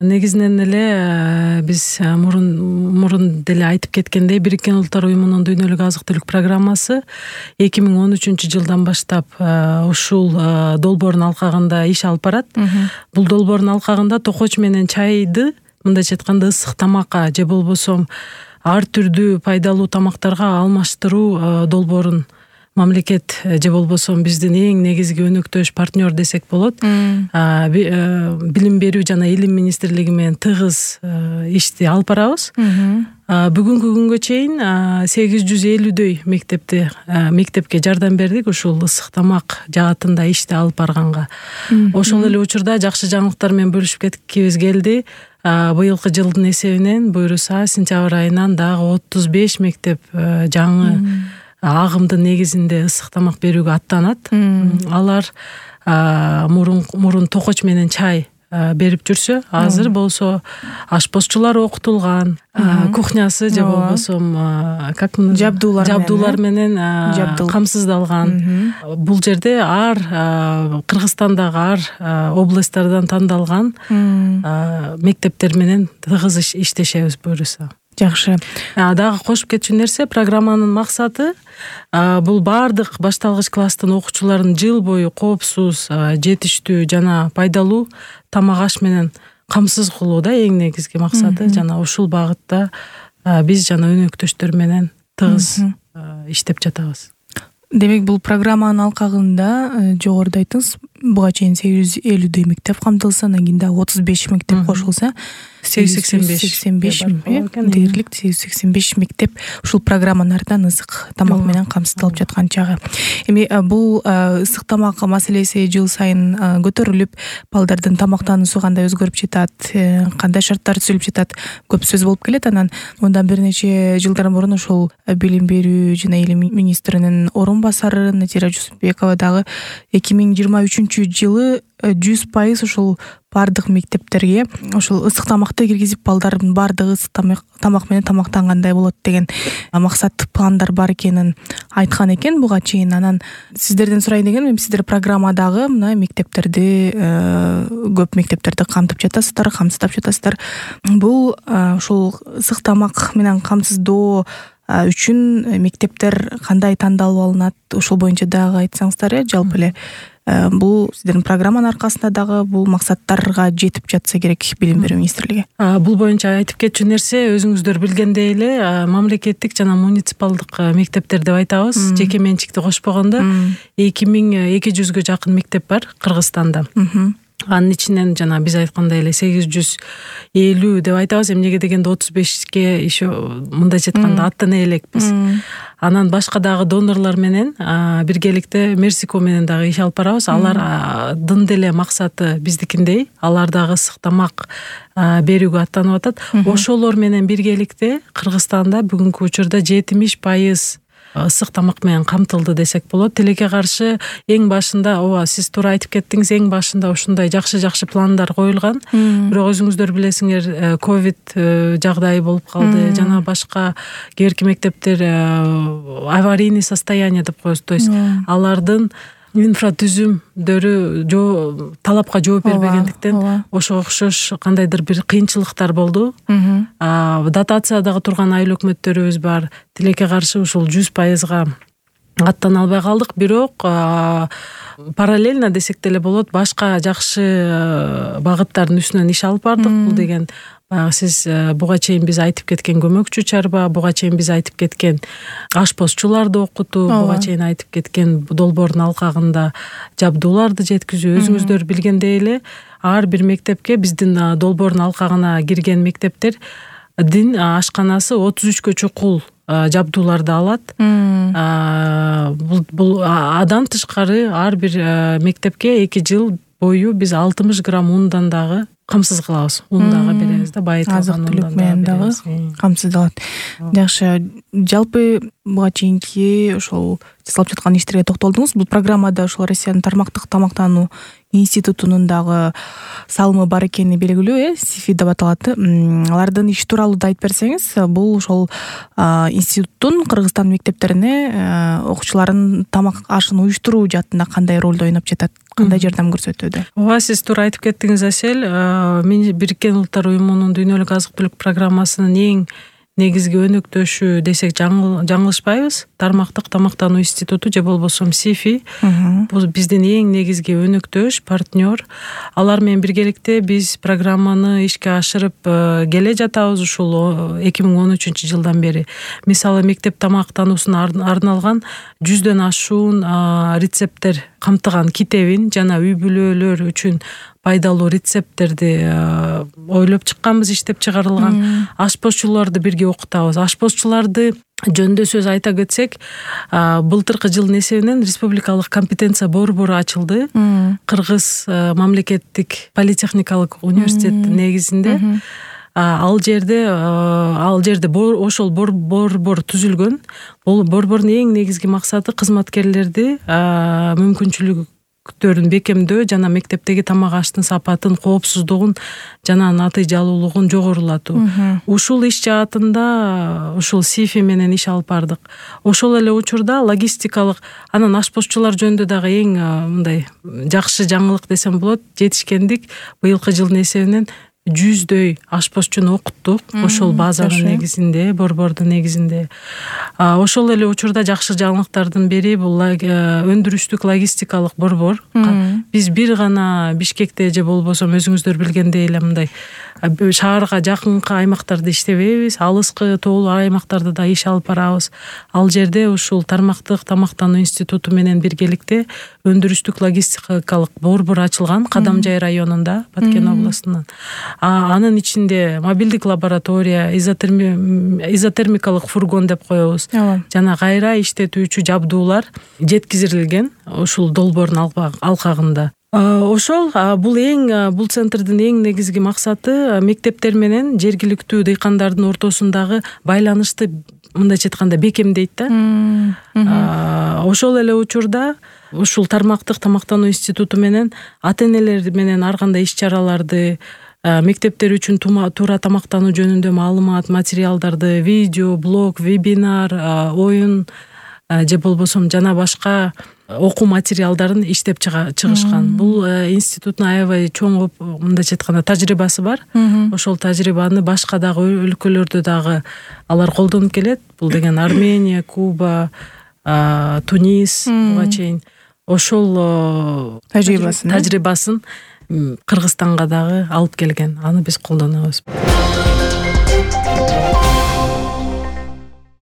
Негизинен эле биз мурун деле айтып кеткендей, Бириккен Улуттар Уюмунун дүйнөлүк азык түлүк программасы 2013-жылдан баштап ушул долбоордун алкагында иш алып барат. Бул долбоордун алкагында токоч менен чайды, мындайча айтканда, ысык тамакка же болбосо ар түрдүү пайдалуу тамактарга алмаштыруу долбоорун мамлекет же болбосо биздин эң негизги өнөктөш партнер десек болот, билим берүү жана илим министрлиги менен тыгыз ишти алып барабыз. Бүгүнкү күнгө чейин 850дөй мектепке жардам бердик ушул ысык тамак жаатында ишти алып барганга. Ошол эле учурда жакшы жаңылыктар менен бөлүшүп кеткибиз келди. Быйылкы жылдын эсебинен буюрса сентябрь айынан дагы 35 мектеп жаңы агымдын негизинде ысык тамак берүүгө аттанат. Алар мурун токоч менен чай берип жүрсө, азыр болсо ашпозчулар окутулган, кухнясы же болбосо жабдуулар менен камсыздалган. Бул жерде Кыргызстандагы ар областтардан тандалган мектептер менен тыгыз иштешебиз буюрса. Жакшы. Дагы кошуп кетчү нерсе, программанын максаты бул баардык башталгыч класстын окуучуларын жыл бою коопсуз, жетиштүү жана пайдалуу тамак аш менен камсыз кылуу да эң негизги максаты. Жана ушул багытта биз жана өнөктөштөр менен тыгыз иштеп жатабыз. Демек, бул программанын алкагында жогоруда айттыңыз, буга чейин 850дөй мектеп камтылса, анан кийин дагы 35 мектеп кошулса, 885 дээрлик 885 мектеп ушул программанын артынан ысык тамак менен камсыздалып жаткан чагы. Эми бул ысык тамак маселеси жыл сайын көтөрүлүп, балдардын тамактануусу кандай өзгөрүп жатат, кандай шарттар түзүлүп жатат, көп сөз болуп келет. Анан мындан бир нече жылдар мурун ошол билим берүү жана илим министринин орун басары Натира Жусупбекова дагы 2023-жылы 100% ушул бардык мектептерге ушул ысык тамакты киргизип, балдардын бардыгы ысык тамак менен тамактангандай болот деген максат, пландар бар экенин айткан экен буга чейин. Анан сиздерден сурайын дегеним, сиздер программадагы мына мектептерди, көп мектептерди камтып жатасыздар, камсыздап жатасыздар. Бул ушул ысык тамак менен камсыздоо үчүн мектептер кандай тандалып алынат, ушул боюнча дагы айтсаңыздар. Жалпы эле бул сиздердин программанын аркасында дагы бул максаттарга жетип жатса керек билим берүү министрлиги. Бул боюнча айтып кетчү нерсе, өзүңүздөр билгендей эле мамлекеттик жана муниципалдык мектептер деп айтабыз. Жеке менчикти кошпогондо 2200гө жакын мектеп бар Кыргызстанда. Анын ичинен жана биз айткандай эле 850 деп айтабыз. Эмнеге дегенде 35ке еще мындайча айтканда аттана элекпиз. Анан башка дагы донорлор менен биргеликте Мерсико менен дагы иш алып барабыз. Алардын деле максаты биздикиндей, алар дагы ысык тамак берүүгө аттанып атат. Ошолор менен биргеликте Кыргызстанда бүгүнкү учурда 70% ысык тамак менен камтылды десек болот. Тилекке каршы эң башында, сиз туура айтып кеттиңиз, эң башында ушундай жакшы пландар коюлган. Бирок өзүңүздөр билесиңер, ковид жагдайы болуп калды, жана башка кээерки мектептер аварийный состояние деп коебуз. То есть алардын инфратүзүмдөрү талапка жооп бербегендиктен ошого окшош кандайдыр бир кыйынчылыктар болду. Дотациядагы турган айыл өкмөттөрүбүз бар. Тилекке каршы ушул 100%га аттана албай калдык. Бирок параллельно десек деле болот, башка жакшы багыттардын үстүнөн иш алып бардык. Бул деген сиз буга чейин биз айтып кеткен көмөкчү чарба, буга чейин биз айтып кеткен ашпозчуларды окутуу, буга чейин айтып кеткен долбоордун алкагында жабдууларды жеткизүү. Өзүңүздөр билгендей эле ар бир мектепке, биздин долбоордун алкагына кирген мектептердин ашканасы 33 чукул жабдууларды алат. Бул адан тышкары ар бир мектепке 2 жыл бою биз 60 грамм ундан дагы камсыз кылабыз. Un дагы беребиз да, байытылган азык-түлүк менен дагы камсыздалат. Жакшы. Жалпы буга чейинки ошол жасалып жаткан иштерге токтолдуңуз. Бул программада ошол Россиянын тармактык тамактануу институтунун дагы салымы бар экени белгилүү, СИФИ деп аталат. Алардын иши тууралуу да айтып берсеңиз, бул ошол институттун Кыргызстан мектептерине окуучулардын тамак ашын уюштуруу жаатында кандай ролду ойноп жатат, кандай жардам көрсөтүүдө? Ооба, сиз туура айтып кеттиңиз, Асель. Бириккен Улуттар уюмунун дүйнөлүк азык-түлүк программасынын эң негизги өнөктөшү десек жаңылышпайбыз. Тармактык тамактануу институту же болбосо СИФИ. Бул биздин эң негизги өнөктөш, партнер. Алар менен биргеликте биз программаны ишке ашырып келе жатабыз ушул 2013 жылдан бери. Мисалы, мектеп тамактануусуна арналган 100дөн ашуун рецепттер камтыган китебин жана үй бүлөлөр үчүн пайдалуу рецепттерди ойлоп чыкканбыз, иштеп чыгарылган. Ашпозчуларды бирге окутабыз. Ашпозчуларды жөнүндө сөз айта кетсек, былтыркы жылдын эсебинен республикалык компетенция борбору ачылды. Кыргыз мамлекеттик политехникалык университет негизинде. Ал жерде ошол борбор түзүлгөн. Бул борбордун эң негизги максаты кызматкерлерди мүмкүнчүлүктөрүн бекемдөө жана мектептеги тамак аштын сапатын, коопсуздугун жана натыйжалуулугун жогорулатуу. Ушул иш жаатында ушул СИФИ менен иш алып бардык. Ошол эле учурда логистикалык, анан ашпозчулар жөнүндө дагы эң мындай жакшы жаңылык десем болот, жетишкендик. Быйылкы жылдын эсебинен 100дөй ашпозчуну окуттук ошол базанын негизинде, борбордун негизинде. Ошол эле учурда жакшы жаңылыктардын бири бул өндүрүштүк логистикалык борбор. Биз бир гана Бишкекте же болбосо өзүңүздөр билгендей эле мындай шаарга жакынкы аймактарда иштебейбиз, алыскы тоолуу аймактарда да иш алып барабыз. Ал жерде ушул тармактык тамактануу институту менен биргеликте өндүрүштүк логистикалык борбор ачылган Кадамжай районунда, Баткен областунан. Анын ичинде мобилдик лаборатория, изотермикалык фургон деп коебуз. Жана кайра иштетүүчү жабдуулар жеткизилген ушул долбоордун алкагында. Ошол бул центрдин эң негизги максаты мектептер менен жергиликтүү дыйкандардын ортосундагы байланышты мындайча айтканда бекемдейт да. Ошол эле учурда ушул тармактык тамактануу институту менен ата-энелер менен ар кандай иш-чараларды, мектептер үчүн туура тамактануу жөнүндө маалымат, материалдарды, видео, блог, вебинар, оюн же болбосо жана башка окуу материалдарын иштеп чыгышкан. Бул институттун аябай чоң мындайча айтканда тажрыйбасы бар. Ошол тажрыйбаны башка дагы өлкөлөрдө дагы алар колдонуп келет. Бул деген Армения, Куба, Тунис буга чейин ошол тажрыйбасын Кыргызстанга дагы алып келген. Аны биз колдонобуз.